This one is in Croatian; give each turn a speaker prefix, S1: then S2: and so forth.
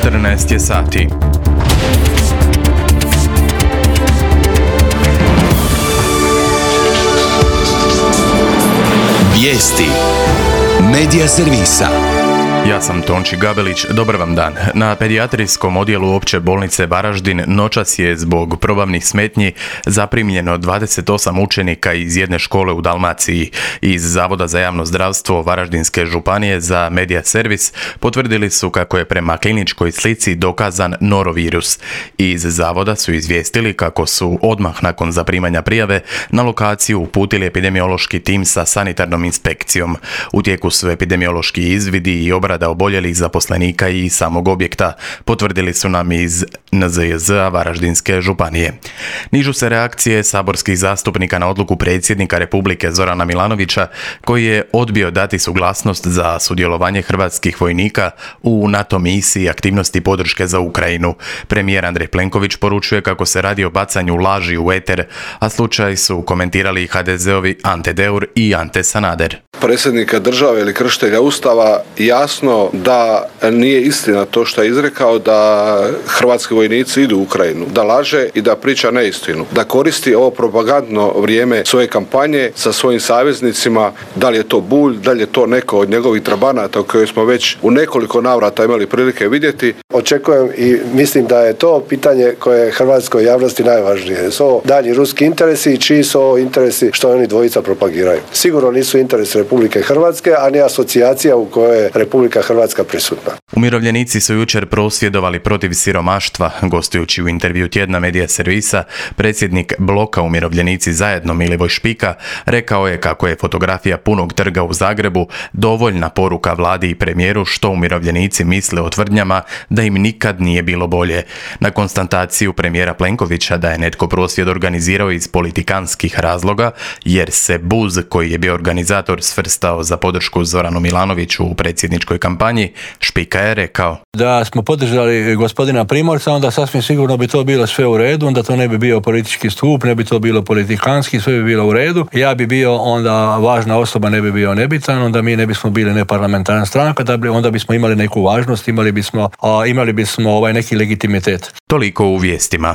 S1: 14 je sati.
S2: Vijesti Medija servisa.
S1: Ja sam Tonči Gabelić, dobar vam dan. Na pedijatrijskom odjelu opće bolnice Varaždin noćas je zbog probavnih smetnji zaprimljeno 28 učenika iz jedne škole u Dalmaciji. Iz Zavoda za javno zdravstvo Varaždinske županije za Medija servis potvrdili su kako je prema kliničkoj slici dokazan norovirus. Iz Zavoda su izvijestili kako su odmah nakon zaprimanja prijave na lokaciju uputili epidemiološki tim sa sanitarnom inspekcijom. U tijeku su epidemiološki izvidi i obrada oboljelih zaposlenika i samog objekta, potvrdili su nam iz NZJZ-a Varaždinske županije. Nižu se reakcije saborskih zastupnika na odluku predsjednika Republike Zorana Milanovića, koji je odbio dati suglasnost za sudjelovanje hrvatskih vojnika u NATO misiji aktivnosti podrške za Ukrajinu. Premijer Andrej Plenković poručuje kako se radi o bacanju laži u eter, a slučaj su komentirali HDZ-ovi Ante Deur i Ante Sanader.
S3: Predsjednika države ili kršitelja Ustava jasno da nije istina to što je izrekao, da hrvatski vojnici idu u Ukrajinu, da laže i da priča neistinu, da koristi ovo propagandno vrijeme svoje kampanje sa svojim saveznicima, da li je to Bulj, da li je to neko od njegovih trabanata koje smo već u nekoliko navrata imali prilike vidjeti.
S4: Očekujem i mislim da je to pitanje koje je hrvatskoj javnosti najvažnije. Su ovo dalji ruski interesi i čiji su ovo interesi što oni dvojica propagiraju. Sigurno nisu interesi Republike Hrvatske, a ni asocijacija u kojoj je Republika Hrvatska prisutna.
S1: Umirovljenici su jučer prosvjedovali protiv siromaštva. Gostujući u intervju tjedna Medija servisa, predsjednik bloka Umirovljenici zajedno Milivoj Špika rekao je kako je fotografija punog trga u Zagrebu dovoljna poruka vladi i premijeru što umirovljenici misle o tvrdnjama da im nikad nije bilo bolje. Na konstataciju premijera Plenkovića da je netko prosvjed organizirao iz politikanskih razloga, jer se BUZ, koji je bio organizator, svrstao za podršku Zoranu Milanoviću u predsjedničkoj kampanji, Špika je rekao:
S5: da smo podržali gospodina Primorca, onda sasvim sigurno bi to bilo sve u redu, onda to ne bi bio politički stup, ne bi to bilo politikanski, sve bi bilo u redu. Ja bi bio onda važna osoba, ne bi bio nebitan, onda mi ne bismo bili neparlamentarna stranka, onda bismo imali neku važnost, imali bismo neki legitimitet.
S1: Toliko u vijestima.